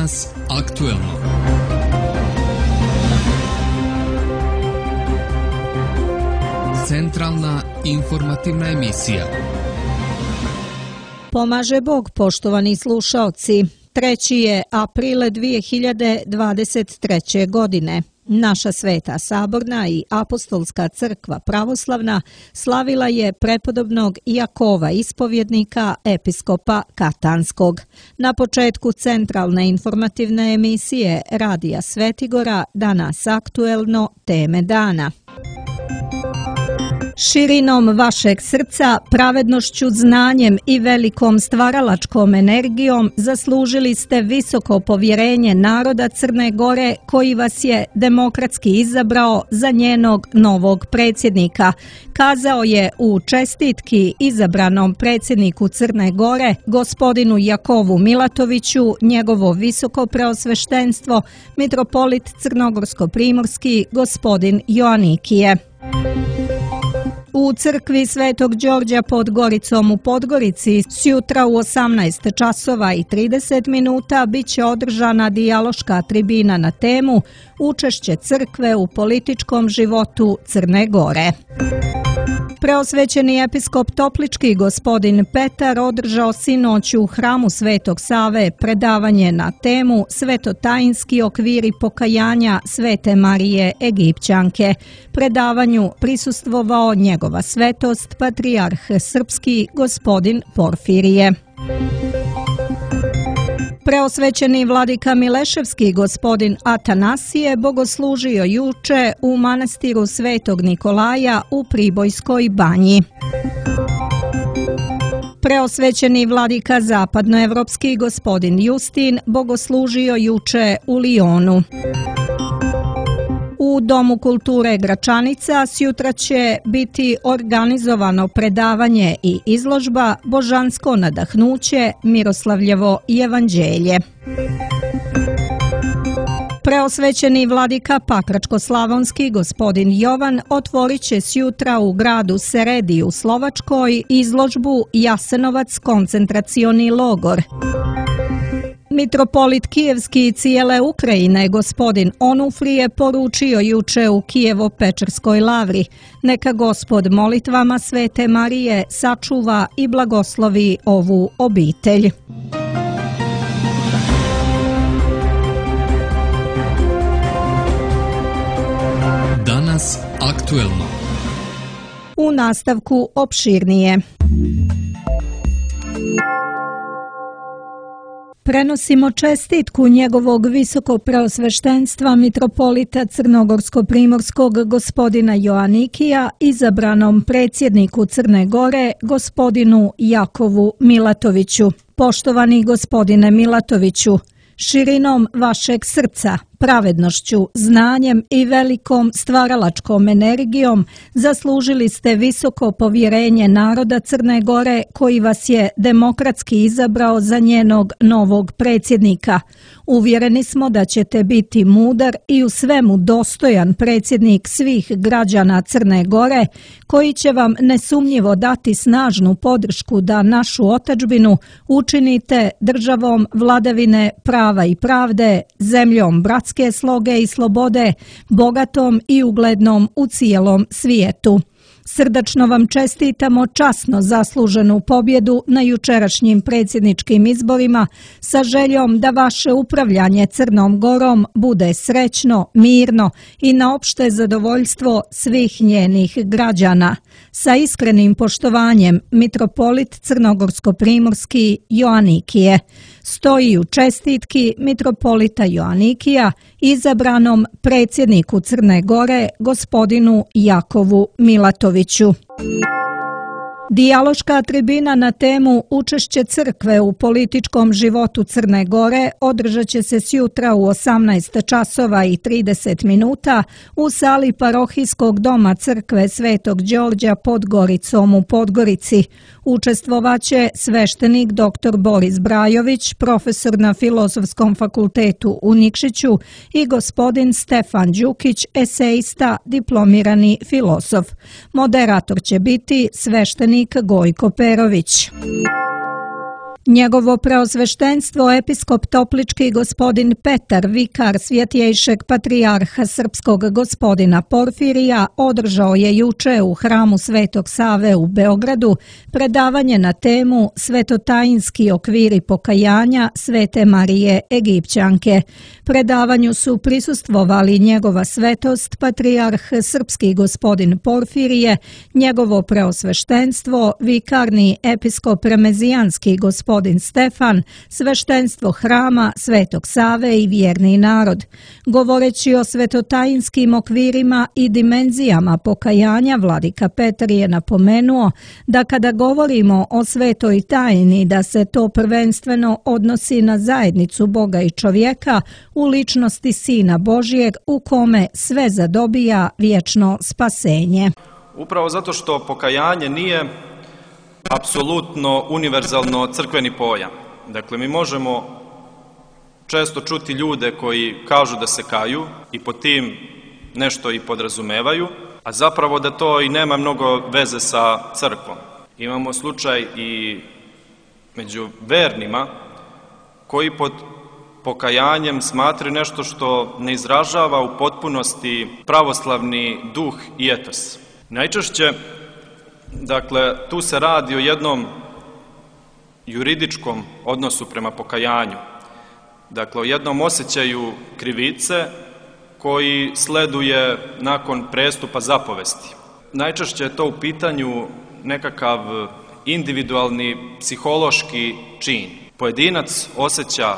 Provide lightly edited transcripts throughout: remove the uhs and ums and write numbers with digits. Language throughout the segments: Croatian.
Danas aktuelno. Centralna informativna emisija. Pomaže Bog, poštovani slušaoci. 3. je april 2023. godine. Naša Sveta Saborna i Apostolska crkva pravoslavna slavila je prepodobnog Jakova ispovjednika, episkopa Katanskog. Na početku centralne informativne emisije Radija Svetigora Danas aktuelno, teme dana. Širinom vašeg srca, pravednošću, znanjem i velikom stvaralačkom energijom zaslužili ste visoko povjerenje naroda Crne Gore koji vas je demokratski izabrao za njenog novog predsjednika, kazao je u čestitki izabranom predsjedniku Crne Gore, gospodinu Jakovu Milatoviću, njegovo visoko preosveštenstvo, mitropolit crnogorsko-primorski, gospodin Joanikije. U crkvi Svetog Đorđa pod Goricom u Podgorici sjutra u 18 časova i 30 minuta bit će održana dijaloška tribina na temu Učešće crkve u političkom životu Crne Gore. Preosvećeni episkop Toplički gospodin Petar održao sinoć u hramu Svetog Save predavanje na temu Svetotajinski okviri pokajanja Svete Marije Egipćanke. Predavanju prisustvovao njegova svetost patrijarh srpski gospodin Porfirije. Preosvećeni vladika Mileševski gospodin Atanasije bogoslužio juče u manastiru Svetog Nikolaja u Pribojskoj banji. Preosvećeni vladika zapadnoevropski gospodin Justin bogoslužio juče u Lijonu. U Domu kulture Gračanica sjutra će biti organizovano predavanje i izložba Božansko nadahnuće, Miroslavljevo evanđelje. Preosvećeni vladika Pakračko-slavonski gospodin Jovan otvorit će sjutra u gradu Seredi u Slovačkoj izložbu Jasenovac koncentracioni logor. Mitropolit Kijevski i cijele Ukrajine gospodin Onufrije poručio juče u Kijevo-Pečerskoj lavri: neka Gospod molitvama Svete Marije sačuva i blagoslovi ovu obitelj. Danas aktuelno. U nastavku opširnije. Prenosimo čestitku njegovog visoko preosveštenstva mitropolita crnogorsko-primorskog gospodina Joanikija izabranom predsjedniku Crne Gore gospodinu Jakovu Milatoviću. Poštovani gospodine Milatoviću, širinom vašeg srca, pravednošću, znanjem i velikom stvaralačkom energijom zaslužili ste visoko povjerenje naroda Crne Gore koji vas je demokratski izabrao za njenog novog predsjednika. Uvjereni smo da ćete biti mudar i u svemu dostojan predsjednik svih građana Crne Gore koji će vam nesumnjivo dati snažnu podršku da našu otadžbinu učinite državom vladavine prava i pravde, zemljom bratske sloge i slobode, bogatom i uglednom u cijelom svijetu. Srdačno vam čestitamo časno zasluženu pobjedu na jučerašnjim predsjedničkim izborima sa željom da vaše upravljanje Crnom Gorom bude srećno, mirno i na opšte zadovoljstvo svih njenih građana. Sa iskrenim poštovanjem, mitropolit crnogorsko-primorski Joanikije. Stoji u čestitki mitropolita Joanikija izabranom predsjedniku Crne Gore gospodinu Jakovu Milatoviću. Dijaloška tribina na temu Učešće crkve u političkom životu Crne Gore održat će se sjutra u 18 časova i 30 minuta u sali parohijskog doma crkve Svetog Đorđa pod Goricom u Podgorici. Učestvovaće sveštenik dr. Boris Brajović, profesor na Filozofskom fakultetu u Nikšiću i gospodin Stefan Đukić, eseista, diplomirani filozof. Moderator će biti sveštenik Gojko Perović. Njegovo preosveštenstvo episkop Toplički gospodin Petar, vikar Svjetjejšeg patrijarha srpskog gospodina Porfirija, održao je juče u hramu Svetog Save u Beogradu predavanje na temu Svetotajinski okviri pokajanja Svete Marije Egipćanke. Predavanju su prisustvovali njegova svetost, patrijarh srpski gospodin Porfirije, njegovo preosveštenstvo, vikarni episkop remezijanski gospodin Stefan, sveštenstvo hrama Svetog Save i vjerni narod. Govoreći o svetotajinskim okvirima i dimenzijama pokajanja, vladika Petar je napomenuo da kada govorimo o svetoj tajni, da se to prvenstveno odnosi na zajednicu Boga i čovjeka u ličnosti Sina Božijeg u kome sve zadobija vječno spasenje. Upravo zato što pokajanje nije apsolutno univerzalno crkveni pojam. Dakle, mi možemo često čuti ljude koji kažu da se kaju i pod tim nešto i podrazumevaju, a zapravo da to i nema mnogo veze sa crkvom. Imamo slučaj i među vernima koji pod pokajanjem smatraju nešto što ne izražava u potpunosti pravoslavni duh i etos. Najčešće, dakle, tu se radi o jednom juridičkom odnosu prema pokajanju. Dakle, o jednom osjećaju krivice koji sleduje nakon prestupa zapovesti. Najčešće je to u pitanju nekakav individualni psihološki čin. Pojedinac osjeća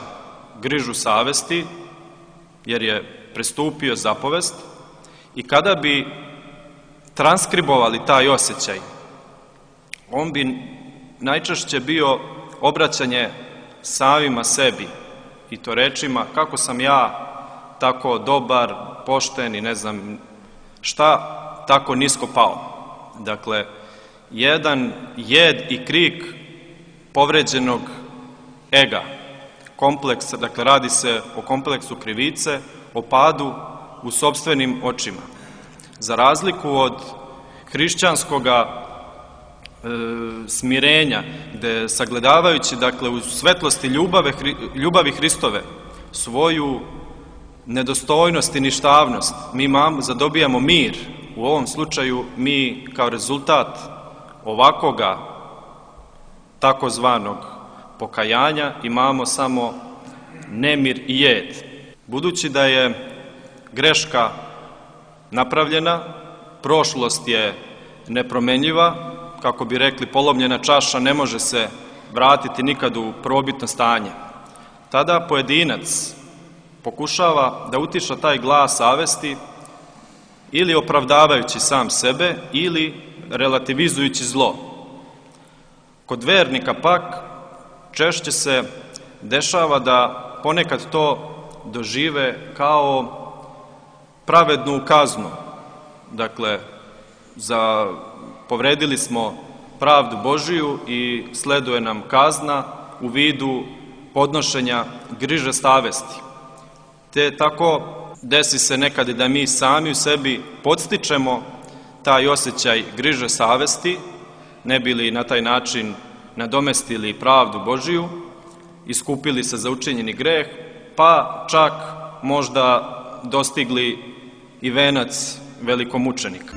grižu savesti jer je prestupio zapovest i kada bi transkribovali taj osjećaj, on bi najčešće bio obraćanje samima sebi i to rečima kako sam ja tako dobar, pošten i ne znam šta, tako nisko pao. Dakle, jedan jed i krik povređenog ega, kompleks, dakle radi se o kompleksu krivice, o padu u sopstvenim očima. Za razliku od hrišćanskoga smirenja, gde sagledavajući, dakle, u svetlosti ljubavi Hristove svoju nedostojnost i ništavnost, mi zadobijamo mir. U ovom slučaju mi kao rezultat ovakvoga takozvanog pokajanja imamo samo nemir i jed. Budući da je greška napravljena, prošlost je nepromenljiva, kako bi rekli, polomljena čaša ne može se vratiti nikad u prvobitno stanje. Tada pojedinac pokušava da utiša taj glas savesti ili opravdavajući sam sebe ili relativizujući zlo. Kod vernika pak češće se dešava da ponekad to dožive kao pravednu kaznu. Dakle, povredili smo pravdu Božiju i sleduje nam kazna u vidu podnošenja griže savesti. Te tako desi se nekad da mi sami u sebi podstičemo taj osjećaj griže savesti, ne bi li na taj način nadomestili pravdu Božiju, iskupili se za učinjeni greh, pa čak možda dostigli i venac velikomučenika.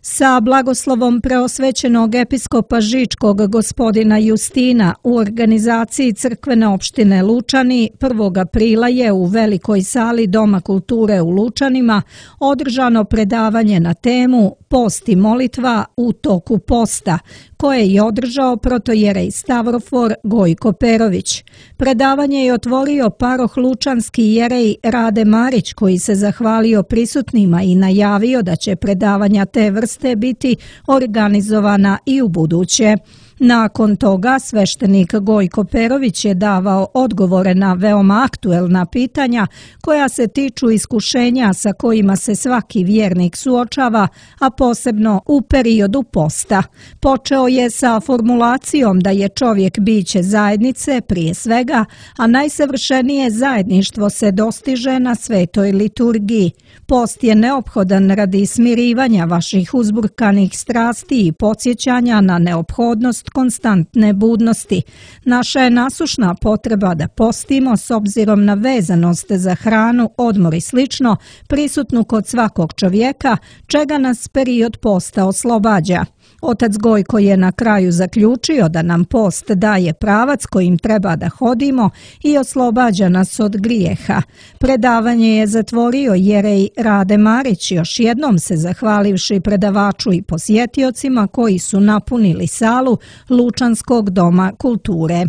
Sa blagoslovom preosvećenog episkopa Žičkog gospodina Justina u organizaciji crkvene opštine Lučani 1. aprila je u velikoj sali Doma kulture u Lučanima održano predavanje na temu Post i molitva u toku posta, koje je održao protojerej Stavrofor Gojko Perović. Predavanje je otvorio paroh lučanski jerej Rade Marić, koji se zahvalio prisutnima i najavio da će predavanja te vrste biti organizovana i u buduće. Nakon toga sveštenik Gojko Perović je davao odgovore na veoma aktuelna pitanja koja se tiču iskušenja sa kojima se svaki vjernik suočava, a posebno u periodu posta. Počeo je sa formulacijom da je čovjek biće zajednice prije svega, a najsavršenije zajedništvo se dostiže na svetoj liturgiji. Post je neophodan radi smirivanja vaših uzburkanih strasti i podsjećanja na neophodnost konstantne budnosti. Naša je nasušna potreba da postimo s obzirom na vezanost za hranu, odmor i slično, prisutnu kod svakog čovjeka, čega nas period posta oslobađa. Otac Gojko je na kraju zaključio da nam post daje pravac kojim treba da hodimo i oslobađa nas od grijeha. Predavanje je zatvorio jerej Rade Marić, još jednom se zahvalivši predavaču i posjetiocima koji su napunili salu Lučanskog doma kulture.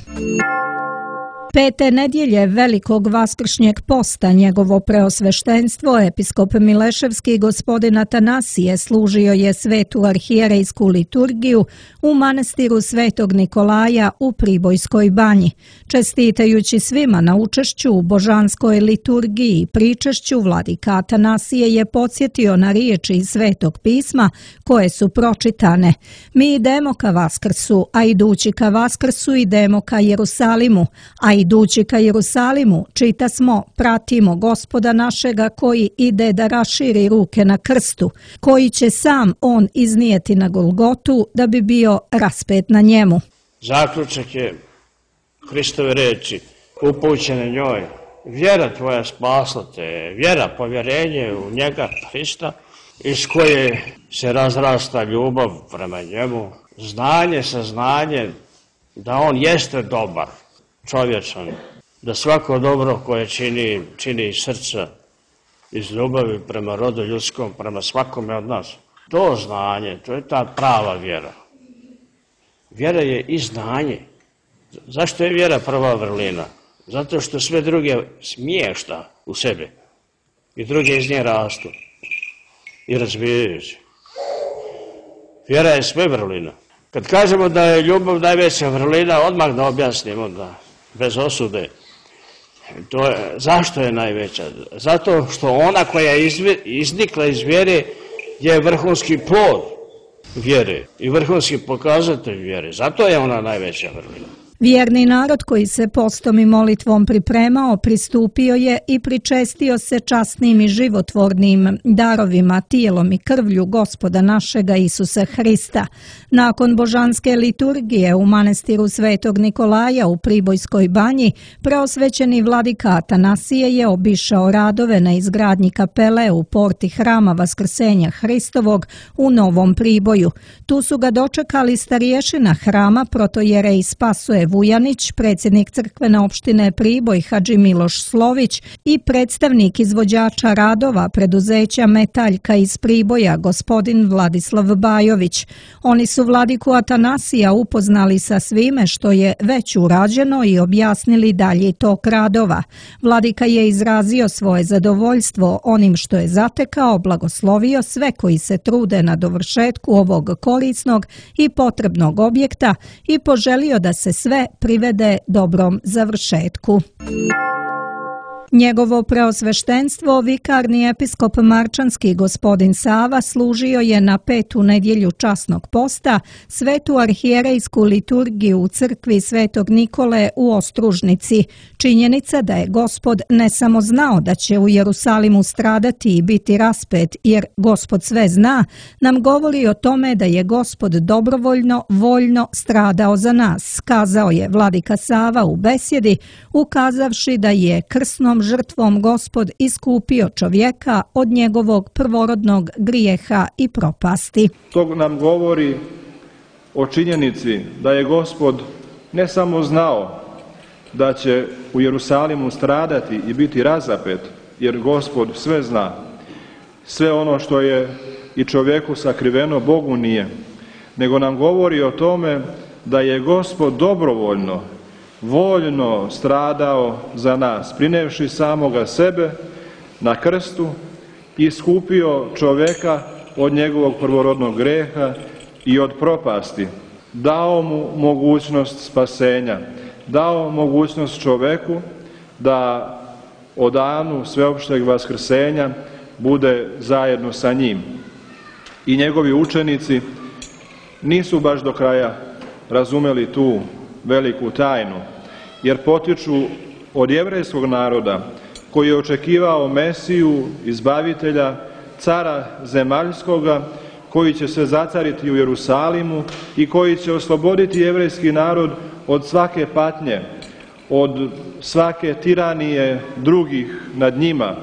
Pete nedjelje velikog vaskršnjeg posta njegovo preosveštenstvo episkop Mileševski gospodin Atanasije služio je svetu arhijerejsku liturgiju u manastiru Svetog Nikolaja u Pribojskoj banji. Čestitajući svima na učešću u božanskoj liturgiji i pričešću, vladika Atanasije je podsjetio na riječi iz Svetog pisma koje su pročitane. Mi idemo ka Vaskrsu, a idući ka Vaskrsu idemo ka Jerusalimu, a idući ka Jerusalimu čita smo, pratimo Gospoda našega koji ide da raširi ruke na krstu, koji će sam on iznijeti na Golgotu da bi bio raspet na njemu. Zaključak je Hristove reči upućene njoj. Vjera tvoja spasla te, vjera, povjerenje u njega Hrista, iz koje se razrasta ljubav prema njemu, znanje, saznanje da on jeste dobar, čovječan, da svako dobro koje čini iz srca, iz ljubavi prema rodu ljudskom, prema svakome od nas. To znanje, to je ta prava vjera. Vjera je i znanje. Zašto je vjera prva vrlina? Zato što sve druge smješta u sebe i druge iz nje rastu i razvijaju se. Vjera je sve vrlina. Kad kažemo da je ljubav najveća vrlina, odmah da objasnimo da bez osude. Zašto je najveća? Zato što ona koja je iznikla iz vjere je vrhunski plod vjere i vrhunski pokazatelj vjere. Zato je ona najveća vrlina. Vjerni narod koji se postom i molitvom pripremao, pristupio je i pričestio se časnim i životvornim darovima, tijelom i krvlju Gospoda našega Isusa Hrista. Nakon božanske liturgije u manastiru Svetog Nikolaja u Pribojskoj banji, preosvećeni vladika Atanasije je obišao radove na izgradnji kapele u porti hrama Vaskrsenja Hristovog u Novom Priboju. Tu su ga dočekali starješina hrama protojerej Spasoje Vujanić, predsjednik crkvene opštine Priboj Hadži Miloš Slović i predstavnik izvođača radova preduzeća Metaljka iz Priboja, gospodin Vladislav Bajović. Oni su vladiku Atanasija upoznali sa svime što je već urađeno i objasnili dalji tok radova. Vladika je izrazio svoje zadovoljstvo onim što je zatekao, blagoslovio sve koji se trude na dovršetku ovog korisnog i potrebnog objekta i poželio da se sve privede dobrom završetku. Njegovo preosveštenstvo, vikarni episkop Marčanski gospodin Sava, služio je na petu nedjelju časnog posta svetu arhijerejsku liturgiju u crkvi Svetog Nikole u Ostružnici. Činjenica da je Gospod ne samo znao da će u Jerusalimu stradati i biti raspet, jer Gospod sve zna, nam govori o tome da je Gospod dobrovoljno, voljno stradao za nas, kazao je vladika Sava u besjedi, ukazavši da je krsnom žrtvom Gospod iskupio čovjeka od njegovog prvorodnog grijeha i propasti. To nam govori o činjenici da je Gospod ne samo znao da će u Jerusalimu stradati i biti razapet, jer Gospod sve zna, sve ono što je i čovjeku sakriveno, Bogu nije, nego nam govori o tome da je Gospod dobrovoljno, voljno stradao za nas, prinevši samoga sebe na krstu i iskupio čovjeka od njegovog prvorodnog greha i od propasti. Dao mu mogućnost spasenja, dao mogućnost čovjeku da o danu sveopšteg vaskrsenja bude zajedno sa njim. I njegovi učenici nisu baš do kraja razumeli tu veliku tajnu, jer potiču od jevrejskog naroda koji je očekivao Mesiju, izbavitelja, cara zemaljskoga, koji će se zacariti u Jerusalimu i koji će osloboditi jevrejski narod od svake patnje, od svake tiranije drugih nad njima,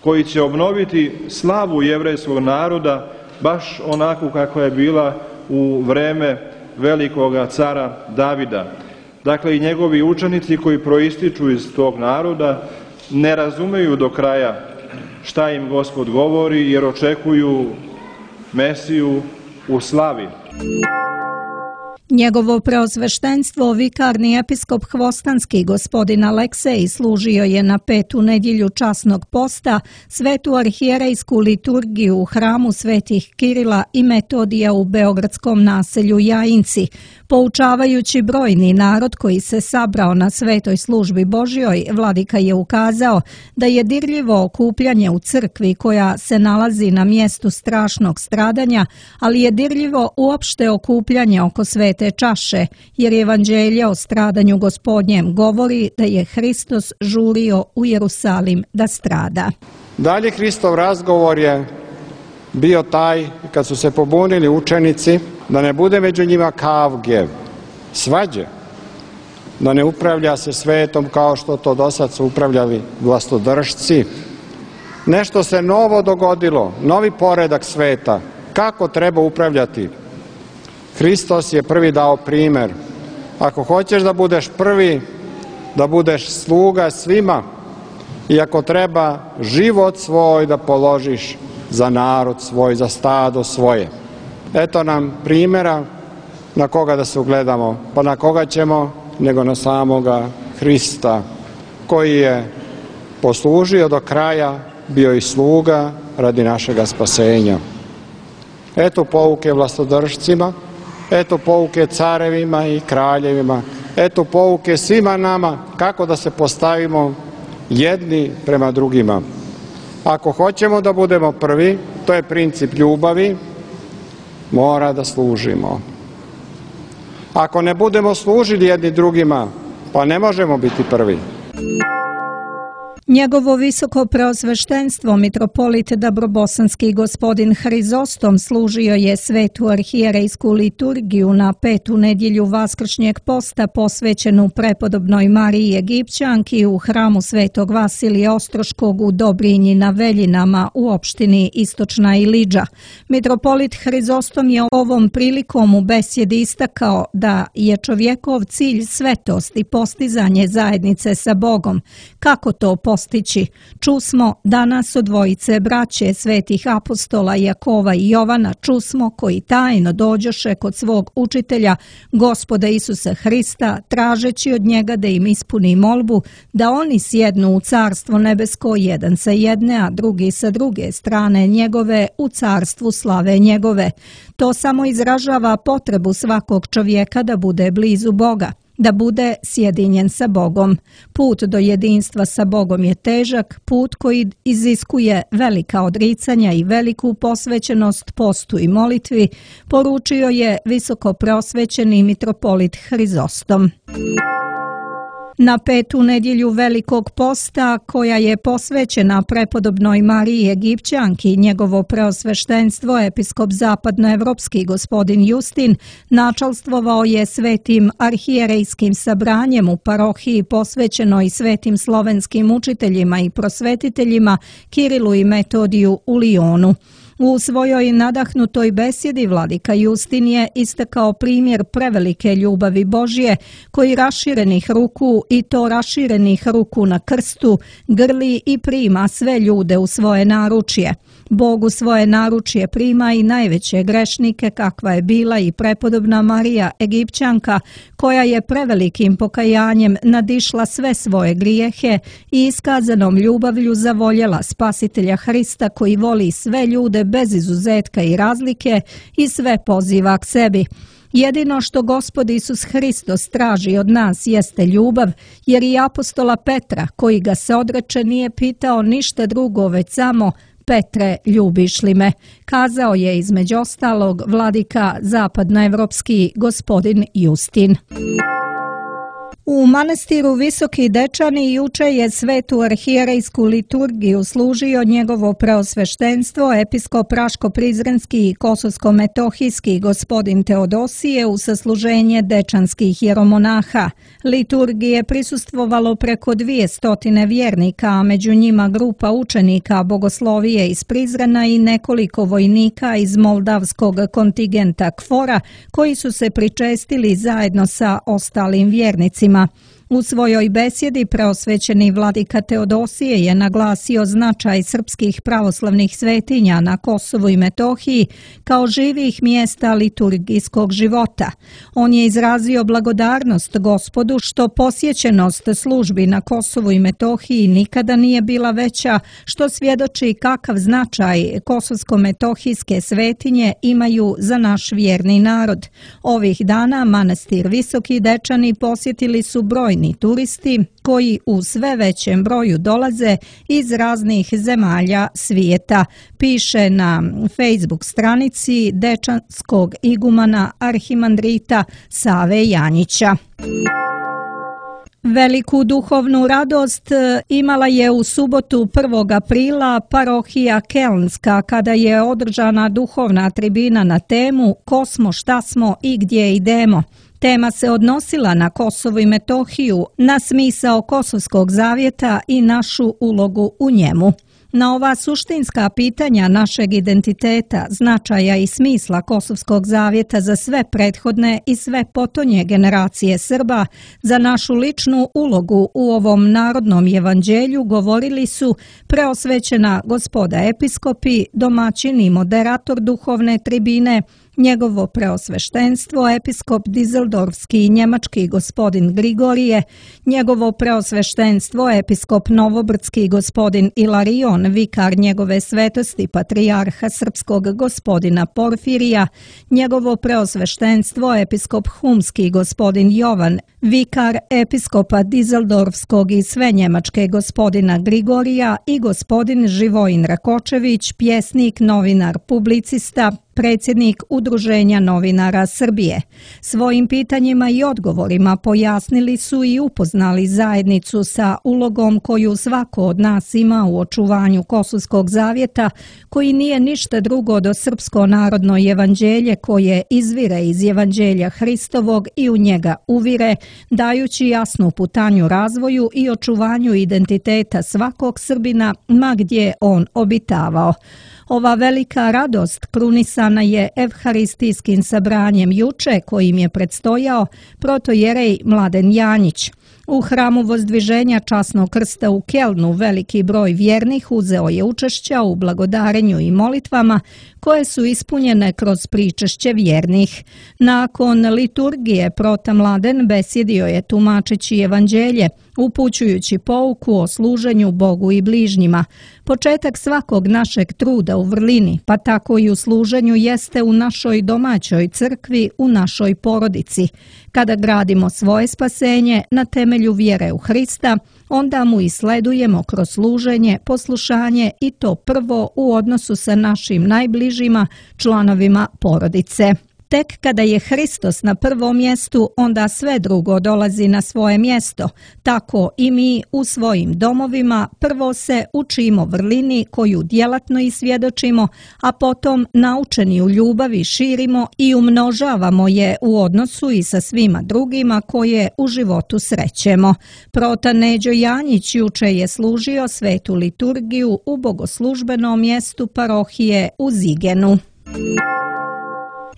koji će obnoviti slavu jevrejskog naroda baš onako kako je bila u vreme velikoga cara Davida. Dakle, i njegovi učenici koji proističu iz tog naroda ne razumeju do kraja šta im Gospod govori, jer očekuju Mesiju u slavi. Njegovo preosveštenstvo, vikarni episkop Hvostanski gospodin Aleksej, služio je na 5. nedjelju časnog posta svetu arhijerejsku liturgiju u hramu svetih Kirila i Metodija u beogradskom naselju Jajinci. Poučavajući brojni narod koji se sabrao na svetoj službi Božjoj, vladika je ukazao da je dirljivo okupljanje u crkvi koja se nalazi na mjestu strašnog stradanja, ali je dirljivo uopšte okupljanje oko svete čaše, jer evanđelje o stradanju Gospodnjem govori da je Hristos žurio u Jerusalim da strada. Dalje Hristov razgovor je bio taj, kad su se pobunili učenici, da ne bude među njima kavge, svađe, da ne upravlja se svetom kao što to dosad su upravljali vlastodržci. Nešto se novo dogodilo, novi poredak sveta, kako treba upravljati. Hristos je prvi dao primjer. Ako hoćeš da budeš prvi, da budeš sluga svima, i ako treba život svoj da položiš za narod svoj, za stado svoje. Eto nam primjera na koga da se ugledamo. Pa na koga ćemo, nego na samoga Hrista, koji je poslužio do kraja, bio i sluga radi našega spasenja. Eto pouke vlastodržcima, eto pouke carevima i kraljevima, eto pouke svima nama kako da se postavimo jedni prema drugima. Ako hoćemo da budemo prvi, to je princip ljubavi, mora da služimo. Ako ne budemo služili jedni drugima, pa ne možemo biti prvi. Njegovo visoko preosveštenstvo mitropolit Dabrobosanski gospodin Hrizostom služio je svetu arhijerejsku liturgiju na 5. nedjelju vaskršnjeg posta posvećenu prepodobnoj Mariji Egipćanki u hramu svetog Vasilija Ostroškog u Dobrinji na Veljinama u opštini Istočna Ilidža. Mitropolit Hrizostom je ovom prilikom u besjedi istakao da je čovjekov cilj svetost i postizanje zajednice sa Bogom. Kako to postići? Čusmo danas od dvojice braće svetih apostola Jakova i Jovana, čusmo koji tajno dođoše kod svog učitelja, Gospoda Isusa Hrista, tražeći od njega da im ispuni molbu da oni sjednu u carstvo nebesko, jedan sa jedne, a drugi sa druge strane njegove, u carstvu slave njegove. To samo izražava potrebu svakog čovjeka da bude blizu Boga, da bude sjedinjen sa Bogom. Put do jedinstva sa Bogom je težak, put koji iziskuje velika odricanja i veliku posvećenost postu i molitvi, poručio je visoko preosvećeni mitropolit Hrizostom. Na 5. nedjelju Velikog posta, koja je posvećena prepodobnoj Mariji Egipćanki, njegovo preosveštenstvo, episkop zapadnoevropski gospodin Justin, načalstvovao je svetim arhijerejskim sabranjem u parohiji posvećenoj svetim slovenskim učiteljima i prosvetiteljima Kirilu i Metodiju u Lijonu. U svojoj nadahnutoj besjedi vladika Justin je istakao primjer prevelike ljubavi Božje, koji raširenih ruku, i to raširenih ruku na krstu, grli i prima sve ljude u svoje naručje. Bog u svoje naručje prima i najveće grešnike, kakva je bila i prepodobna Marija Egipćanka, koja je prevelikim pokajanjem nadišla sve svoje grijehe i iskazanom ljubavlju zavoljela Spasitelja Hrista, koji voli sve ljude bez izuzetka i razlike i sve poziva k sebi. Jedino što Gospod Isus Hristos traži od nas jeste ljubav, jer i apostola Petra, koji ga se odreče, nije pitao ništa drugo, već samo: Petre, ljubiš li me? Kazao je između ostalog vladika zapadnoevropski gospodin Justin. U manastiru Visoki Dečani juče je svetu arhijerejsku liturgiju služio njegovo preosveštenstvo episkop Raško-Prizrenski i Kosovsko-Metohijski gospodin Teodosije u sasluženje dečanskih jeromonaha. Liturgije prisustvovalo preko 200 vjernika, a među njima grupa učenika bogoslovije iz Prizrena i nekoliko vojnika iz moldavskog kontingenta KFOR-a koji su se pričestili zajedno sa ostalim vjernicima. U svojoj besjedi preosvećeni vladika Teodosije je naglasio značaj srpskih pravoslavnih svetinja na Kosovu i Metohiji kao živih mjesta liturgijskog života. On je izrazio blagodarnost Gospodu što posjećenost službi na Kosovu i Metohiji nikada nije bila veća, što svjedoči kakav značaj kosovsko-metohijske svetinje imaju za naš vjerni narod. Ovih dana manastir Visoki Dečani posjetili su brojni turisti koji u sve većem broju dolaze iz raznih zemalja svijeta, piše na Facebook stranici dečanskog igumana arhimandrita Save Janjića. Veliku duhovnu radost imala je u subotu 1. aprila parohija Kelnska kada je održana duhovna tribina na temu Ko smo, šta smo i gdje idemo. Tema se odnosila na Kosovo i Metohiju, na smisao Kosovskog zavjeta i našu ulogu u njemu. Na ova suštinska pitanja našeg identiteta, značaja i smisla Kosovskog zavjeta za sve prethodne i sve potonje generacije Srba, za našu ličnu ulogu u ovom narodnom evanđelju govorili su preosvećena gospoda episkopi, domaćin i moderator duhovne tribine, njegovo preosveštenstvo episkop Dizeldorfski i njemački gospodin Grigorije, njegovo preosveštenstvo episkop Novobrdski gospodin Ilarion, vikar njegove svetosti patrijarha srpskog gospodina Porfirija, njegovo preosveštenstvo episkop Humski gospodin Jovan, vikar episkopa Dizeldorfskog i sve njemačke gospodina Grigorija i gospodin Živojin Rakočević, pjesnik, novinar, publicista, predsjednik Udruženja novinara Srbije. Svojim pitanjima i odgovorima pojasnili su i upoznali zajednicu sa ulogom koju svako od nas ima u očuvanju Kosovskog zavjeta, koji nije ništa drugo do srpsko narodno evanđelje koje izvire iz evanđelja Hristovog i u njega uvire, dajući jasnu putanju razvoju i očuvanju identiteta svakog Srbina, ma gdje on obitavao. Ova velika radost krunisana je evharistijskim sabranjem juče kojim je predstojao protojerej Mladen Janjić. U hramu Vozdviženja časnog krsta u Kelnu veliki broj vjernih uzeo je učešća u blagodarenju i molitvama koje su ispunjene kroz pričešće vjernih. Nakon liturgije prota Mladen besjedio je tumačeći evanđelje, upućujući pouku o služenju Bogu i bližnjima. Početak svakog našeg truda u vrlini, pa tako i u služenju, jeste u našoj domaćoj crkvi, u našoj porodici. Kada gradimo svoje spasenje na temelju vjere u Hrista, onda mu i sledujemo kroz služenje, poslušanje i to prvo u odnosu sa našim najbližima, članovima porodice. Tek kada je Hristos na prvom mjestu, onda sve drugo dolazi na svoje mjesto. Tako i mi u svojim domovima prvo se učimo vrlini koju djelatno isvjedočimo, a potom naučeni u ljubavi širimo i umnožavamo je u odnosu i sa svima drugima koje u životu srećemo. Prota Neđo Janjić juče je služio svetu liturgiju u bogoslužbenom mjestu parohije u Zigenu.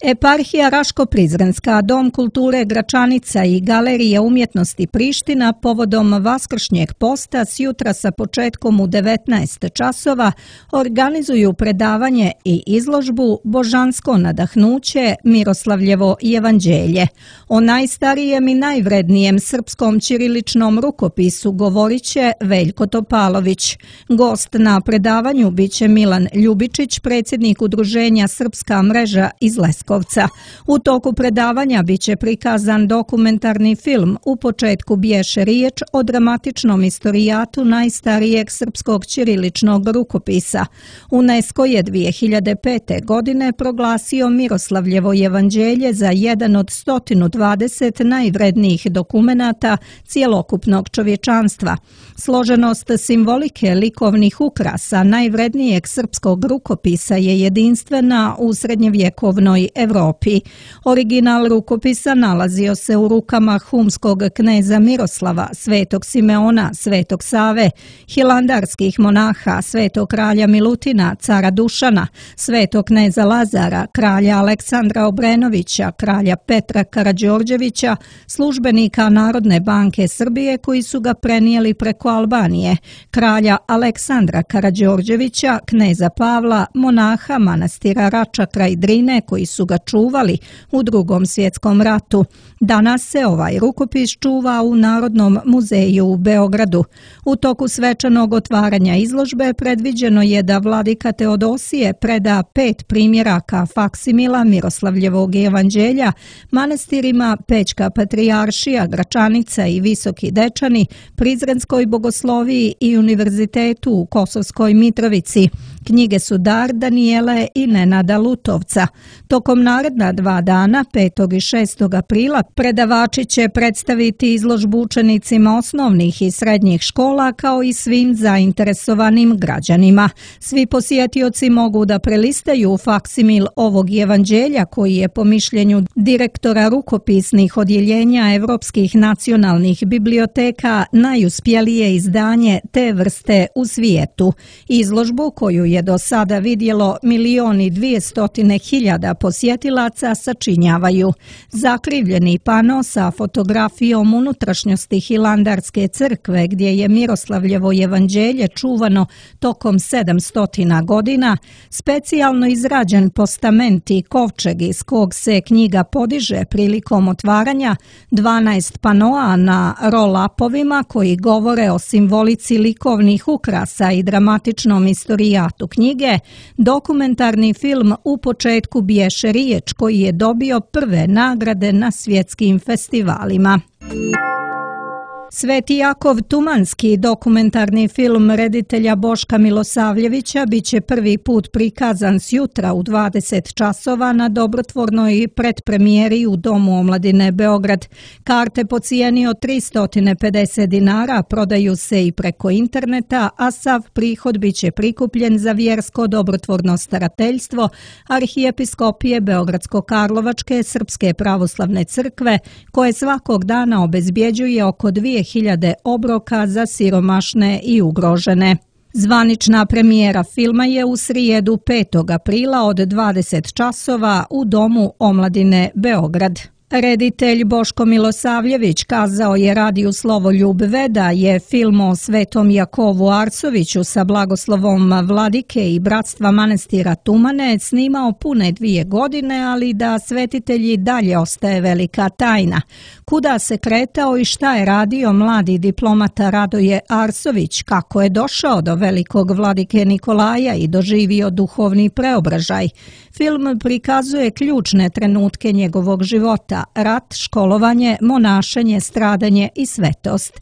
Eparhija Raško-Prizrenska, Dom kulture Gračanica i Galerija umjetnosti Priština povodom Vaskršnjeg posta sjutra sa početkom u 19 časova organizuju predavanje i izložbu Božansko nadahnuće, Miroslavljevo evanđelje. O najstarijem i najvrednijem srpskom ćiriličnom rukopisu govorit će Veljko Topalović. Gost na predavanju biće Milan Ljubičić, predsjednik Udruženja Srpska mreža iz Leskovaca. Leskovca. U toku predavanja biće prikazan dokumentarni film U početku bješe riječ o dramatičnom istorijatu najstarijeg srpskog ćiriličnog rukopisa. UNESCO je 2005. godine proglasio Miroslavljevo evanđelje za jedan od 120 najvrednijih dokumenata cjelokupnog čovječanstva. Složenost simbolike likovnih ukrasa najvrednijeg srpskog rukopisa je jedinstvena u srednjevjekovnoj Europi. Original rukopisa nalazio se u rukama humskog kneza Miroslava, svetog Simeona, svetog Save, hilandarskih monaha, svetog kralja Milutina, cara Dušana, svetog kneza Lazara, kralja Aleksandra Obrenovića, kralja Petra Karađorđevića, službenika Narodne banke Srbije koji su ga prenijeli preko Albanije, kralja Aleksandra Karađorđevića, kneza Pavla, monaha manastira Rača kraj Drine koji su ga čuvali u Drugom svjetskom ratu. Danas se ovaj rukopis čuva u Narodnom muzeju u Beogradu. U toku svečanog otvaranja izložbe predviđeno je da vladika Teodosije preda 5 primjeraka faksimila Miroslavljevog evanđelja manastirima Pećka patrijaršija, Gračanica i Visoki Dečani, Prizrenskoj bogosloviji i Univerzitetu u Kosovskoj Mitrovici. Knjige su dar Danijele i Nenada Lutovca. Tokom naredna 2 dana, 5. i 6. aprila, predavači će predstaviti izložbu učenicima osnovnih i srednjih škola kao i svim zainteresovanim građanima. Svi posjetioci mogu da prelistaju faksimil ovog evanđelja koji je po mišljenju direktora rukopisnih odjeljenja Evropskih nacionalnih biblioteka najuspjelije izdanje te vrste u svijetu. Izložbu koju je do sada vidjelo 1.200.000 posjetilaca sačinjavaju zakrivljeni pano sa fotografijom unutrašnjosti Hilandarske crkve gdje je Miroslavljevo evanđelje čuvano tokom 700 godina, specijalno izrađen postament i kovčeg iz kog se knjiga podiže prilikom otvaranja, 12 panoa na roll-upovima koji govore o simbolici likovnih ukrasa i dramatičnom istorijatu knjige, dokumentarni film U početku bješe riječ koji je dobio prve nagrade na svjetskim festivalima. Sveti Jakov Tumanski, dokumentarni film reditelja Boška Milosavljevića, biće prvi put prikazan sjutra u 20 časova na dobrotvornoj predpremijeri u Domu omladine Beograd. Karte po cijeni od 350 dinara prodaju se i preko interneta, a sav prihod biće prikupljen za vjersko dobrotvorno starateljstvo Arhijepiskopije Beogradsko-Karlovačke Srpske pravoslavne crkve, koje svakog dana obezbjeđuje oko 2000 obroka za siromašne i ugrožene. Zvanična premijera filma je u srijedu 5. aprila od 20 časova u Domu omladine Beograd. Reditelj Boško Milosavljević kazao je radiju Slovoljub da je film o Svetom Jakovu Arsoviću sa blagoslovom vladike i bratstva manastira Tumane snimao pune 2 godine, ali da svetitelji dalje ostaje velika tajna. Kuda se kretao i šta je radio mladi diplomata Radoje Arsović, kako je došao do velikog vladike Nikolaja i doživio duhovni preobražaj. Film prikazuje ključne trenutke njegovog života: rat, školovanje, monašenje, stradanje i svetost.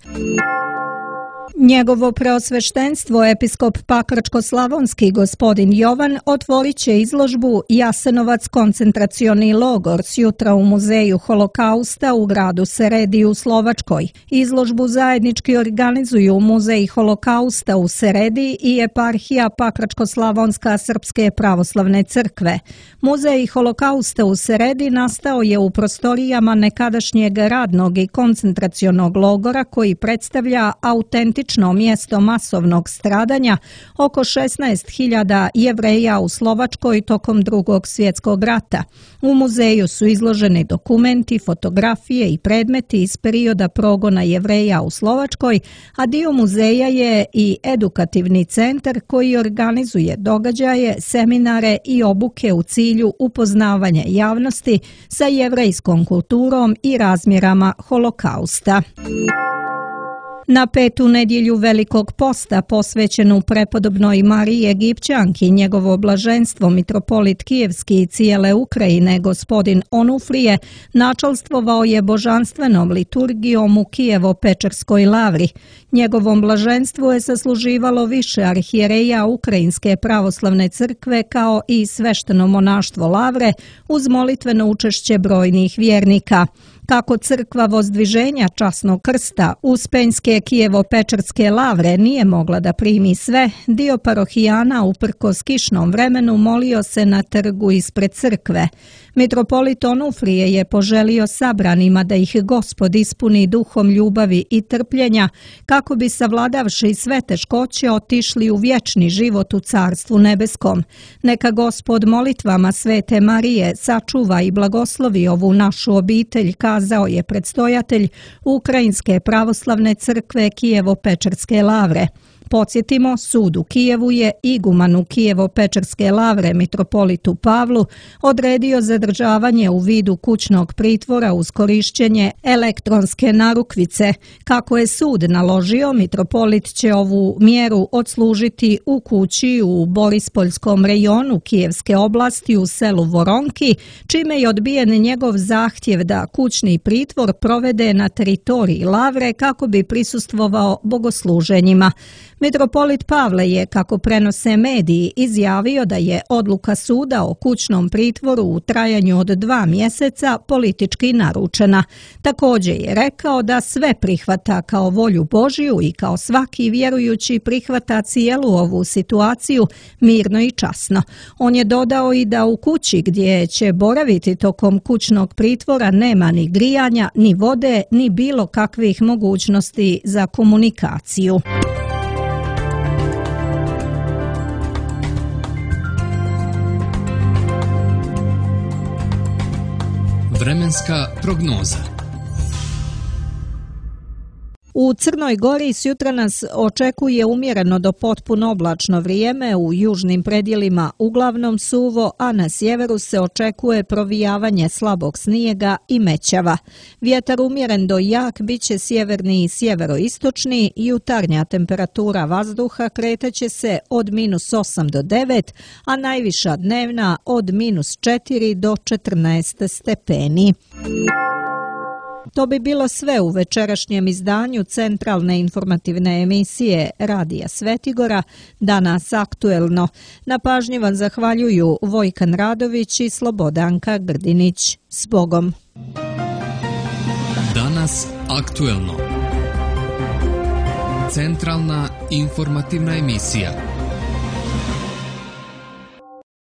Njegovo preosveštenstvo episkop Pakračko-slavonski gospodin Jovan otvorit će izložbu Jasenovac koncentracioni logor sjutra u Muzeju holokausta u gradu Seredi u Slovačkoj. Izložbu zajednički organizuju Muzej holokausta u Seredi i eparhija Pakračko-slavonska Srpske pravoslavne crkve. Muzej holokausta u Seredi nastao je u prostorijama nekadašnjeg radnog i koncentracionog logora koji predstavlja autentično mjesto masovnog stradanja oko 16.000 Jevreja u Slovačkoj tokom Drugog svjetskog rata. U muzeju su izloženi dokumenti, fotografije i predmeti iz perioda progona Jevreja u Slovačkoj, a dio muzeja je i edukativni centar koji organizuje događaje, seminare i obuke u cilju upoznavanja javnosti sa jevrejskom kulturom i razmjerama holokausta. Na 5. nedjelju Velikog posta posvećenu prepodobnoj Mariji Egipćanki, njegovo blaženstvo mitropolit Kijevski i cijele Ukrajine gospodin Onufrije načalstvovao je božanstvenom liturgijom u Kijevo-Pečerskoj lavri. Njegovom blaženstvu je sasluživalo više arhijereja Ukrajinske pravoslavne crkve kao i svešteno monaštvo lavre uz molitveno učešće brojnih vjernika. Kako crkva Vozdviženja časnog krsta Uspenjske Kijevo-Pečerske lavre nije mogla da primi sve, dio parohijana uprkos kišnom vremenu molio se na trgu ispred crkve. Mitropolit Onufrije je poželio sabranima da ih Gospod ispuni duhom ljubavi i trpljenja, kako bi savladavši sve teškoće otišli u vječni život u Carstvu nebeskom. Neka Gospod molitvama Svete Marije sačuva i blagoslovi ovu našu obitelj, kazao je predstojatelj Ukrajinske pravoslavne crkve Kijevo-Pečerske lavre. Podsjetimo, sud u Kijevu je igumanu Kijevo-Pečerske lavre mitropolitu Pavlu odredio zadržavanje u vidu kućnog pritvora uz korišćenje elektronske narukvice. Kako je sud naložio, mitropolit će ovu mjeru odslužiti u kući u Borispoljskom rejonu Kijevske oblasti u selu Voronki, čime je odbijen njegov zahtjev da kućni pritvor provede na teritoriji lavre kako bi prisustvovao bogosluženjima. Mitropolit Pavle je, kako prenose mediji, izjavio da je odluka suda o kućnom pritvoru u trajanju od 2 mjeseca politički naručena. Također je rekao da sve prihvata kao volju Božju i kao svaki vjerujući prihvata cijelu ovu situaciju mirno i časno. On je dodao i da u kući gdje će boraviti tokom kućnog pritvora nema ni grijanja, ni vode, ni bilo kakvih mogućnosti za komunikaciju. Vremenska prognoza. U Crnoj Gori sjutra nas očekuje umjereno do potpuno oblačno vrijeme, u južnim predjelima uglavnom suvo, a na sjeveru se očekuje provijavanje slabog snijega i mećava. Vjetar umjeren do jak biće sjeverni i sjeveroistočni, jutarnja temperatura vazduha kretaće se od -8 do 9, a najviša dnevna od -4 do 14 stepeni. To bi bilo sve u večerašnjem izdanju centralne informativne emisije Radija Svetigora, Danas aktuelno. Na pažnji vam zahvaljuju Vojkan Radović i Slobodanka Grdinić. S Bogom! Danas aktuelno. Centralna informativna emisija.